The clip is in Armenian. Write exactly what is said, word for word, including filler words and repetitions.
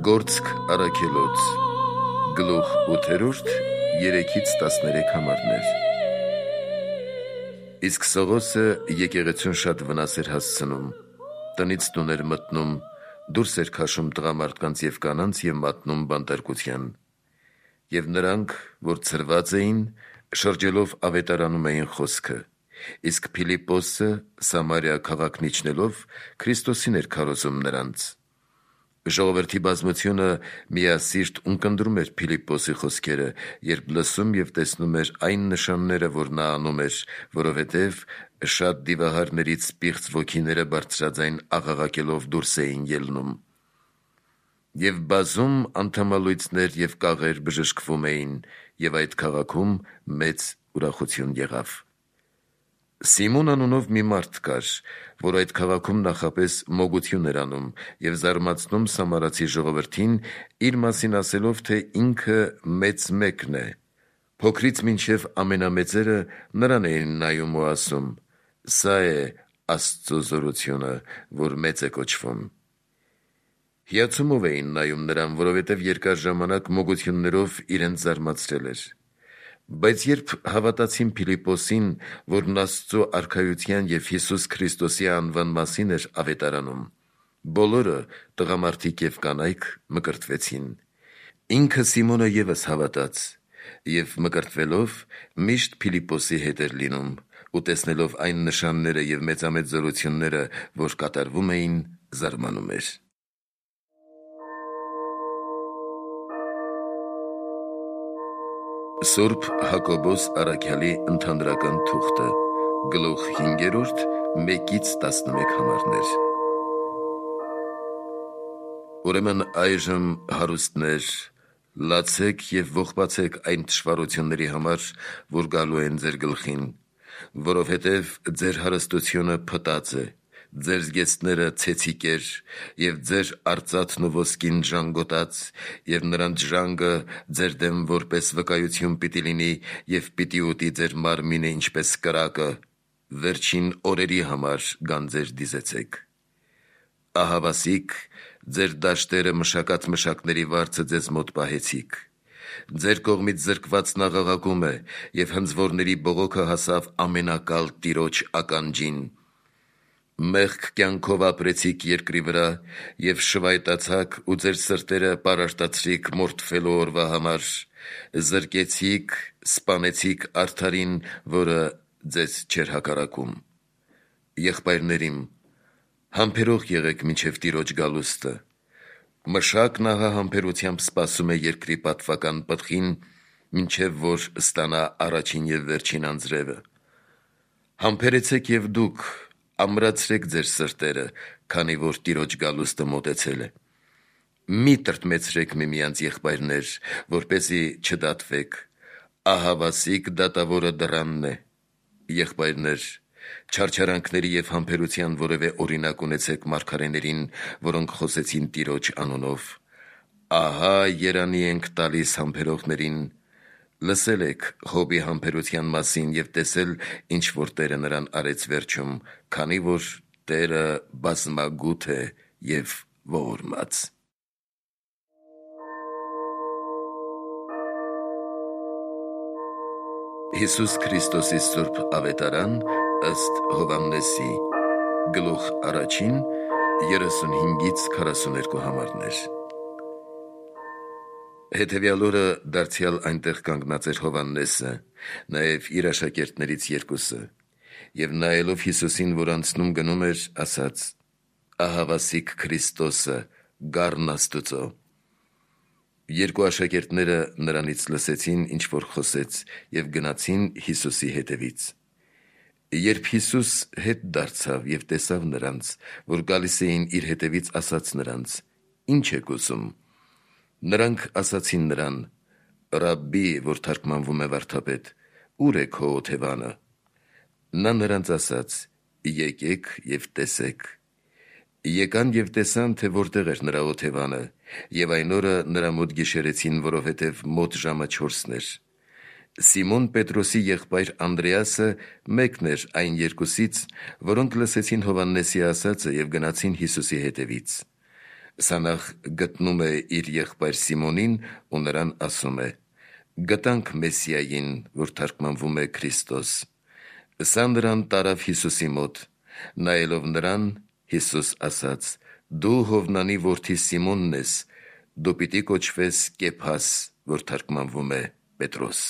Գործք առաքելոց գլուխ ութերորդ երեքից տասներեք համարներ։ Իսկ Սողոսը եկեղեցուն շատ վնաս էր հասցնում, տնից տուն էր մտնում, դուրս էր քաշում տղամարդկանց և կանանց և մատնում բանտարկության։ Եվ նրանք, որ ցրված էին, շրջելով ավետարանում էին խոսքը, իսկ Փիլիպպոսը Սամարիա քաղաքն իջնելով Քրիստոսին էր քարոզում նրանց։ Ժողովրդի բազմությունը միասիրտ ունկնդրում էր Փիլիպպոսի խոսքերը, երբ լսում և տեսնում էր այն նշանները, որ նա անում էր, որովհետև շատ դիվահարներից պիղծ ոգիները բարձրաձայն աղաղակելով դուրս էին ելնում։ Եվ բազում անդամալույծներ և կաղեր բժշկվում էին, և այդ քաղաքում մեծ ուրախություն եղավ։ Սիմոն անունով մի մարդ կար, որ այդ քաղաքում նախապես մոգություն էր անում և զարմացնում սամարացի ժողովրդին, իր մասին ասելով, թե ինքը մեծ մեկն է։ Փոքրից մինչև ամենամեծերը նրան էին նայում ու ասում. «Սա է Աստծո զորությունը, որ մեծ է կոչվում»։ Հիացումով էին նայում նրան, որովհետև երկար ժամանակ մոգություններով իրենց զարմացրել էր։ Բայց երբ հավատացին Փիլիպպոսին, որն Աստծո արքայության և Հիսուս Քրիստոսի անվան մասին էր ավետարանում, բոլորը, տղամարդիկ և կանայք, մկրտվեցին։ Ինքը Սիմոնը ևս հավատաց և մկրտվելով միշտ Փիլիպպոսի հետ էր լինում ու տեսնելով այն նշանները և մեծամեծ զորությունները, որ կատարվում էին, զարմանում էր։ Սուրբ Հակոբոս առաքյալի ընդհանրական թուղթը, գլուխ հինգերորդ, մեկից տասնմեկ համարներ։ Ուրեմն այժմ, հարուստներ, լացեք և ողբացեք այն թշվառությունների համար, որ գալու են ձեր գլխին, որովհետև ձեր հարստությունը փտած է, ձեր զգեստները ցեցիկեր, և ձեր արծաթն ու ոսկին ժանգոտած, և նրանց ժանգը ձեր դեմ որպես վկայություն պիտի լինի և պիտի ուտի ձեր մարմինը ինչպես կրակը, վերջին օրերի համար գանձեր դիզեցեք։ Ահավասիկ, ձեր դաշտերը մշակած մշակների վարձը ձեզ մոտ պահեցիք։ Ձեր կողմից զրկվածն աղաղակում է, և հնձվորների բողոքը հասավ ամենակալ Տիրոջ ականջին։ Մեղք կյանքով ապրեցիք երկրի վրա և շվայտացաք ու ձեր սրտերը պարարտացրիք մորթվելու օրվա համար, զրկեցիք, սպանեցիք արդարին, որը ձեզ չէր հակառակում։ Եղբայրնե՛րիմ, համբերող եղեք մինչև Տիրոջ գալուստը։ Մշակն ահա համբերությամբ սպասում է երկրի պատվական պտղին, մինչև որ ստանա առաջին և վերջին անձրևը։ Համբերեցեք և դուք, ամրացրեք ձեր սրտերը, քանի որ Տիրոջ գալուստը մոտեցել է։ Մի տրտմեցրեք միմյանց, եղբայրնե՛ր, որպեսզի չդատվեք. ահավասիկ դատավորը դռանն է։ Եղբայրնե՛ր, չարչարանքների և համբերության որևէ օրինակ ունեցեք մարգարեներին, որոնք խոսեցին Տիրոջ անունով։ Ահա երանի ենք տալիս համբերողներին։ Լսել եք Յոբի համբերության մասին և տեսել, ինչ որ Տերը նրան արեց վերջում, քանի որ Տերը բազմագութ է և ողորմած։ Հիսուս Քրիստոսի սուրբ ավետարան ըստ Հովհաննեսի, գլուխ առաջին, երեսունհինգից քառասուներկու համարներ։ Հետևյալ օրը դարձյալ այնտեղ կանգնած էր Հովհաննեսը, նաև իր աշակերտներից երկուսը, և նայելով Հիսուսին, որ անցնում գնում էր, ասաց. «Ահավասիկ Քրիստոսը, գառն Աստուծո»։ Երկու աշակերտները նրանից լսեցին, ինչ որ խոսեց, և գնացին Հիսուսի հետևից։ Երբ Հիսուս հետ դարձավ և տեսավ նրանց, որ գալիս էին իր հետևից, ասաց նրանց. «Ի՞նչ եք ուզում»։ Նրանք ասացին նրան. «Ռաբբի», որ թարգմանվում է վարդապետ, «ո՞ւր է քո օթևանը»։ Նա նրանց ասաց. «Եկեք և տեսեք»։ Եկան և տեսան, թե որտեղ էր նրա օթևանը, և այն օրը նրա մոտ գիշերեցին, որովհետև մոտ ժամը չորսն էր։ Սիմոն Պետրոսի եղբայր Անդրեասը մեկն էր այն երկուսից, որոնք լսեցին Հովհաննեսի ասածը և գնացին Հիսուսի հետևից։ Սա նախ գտնում է իր եղբայր Սիմոնին ու նրան ասում է. «Գտանք Մեսիային», որ թարգմանվում է Քրիստոս։ Սա նրան տարավ Հիսուսի մոտ, նայելով նրան, Հիսուս ասաց. «Դու Հովնանի որդի Սիմոնն ես, դու պիտի կոչվես Կեփաս», որ թարգմանվում է Պետրոս։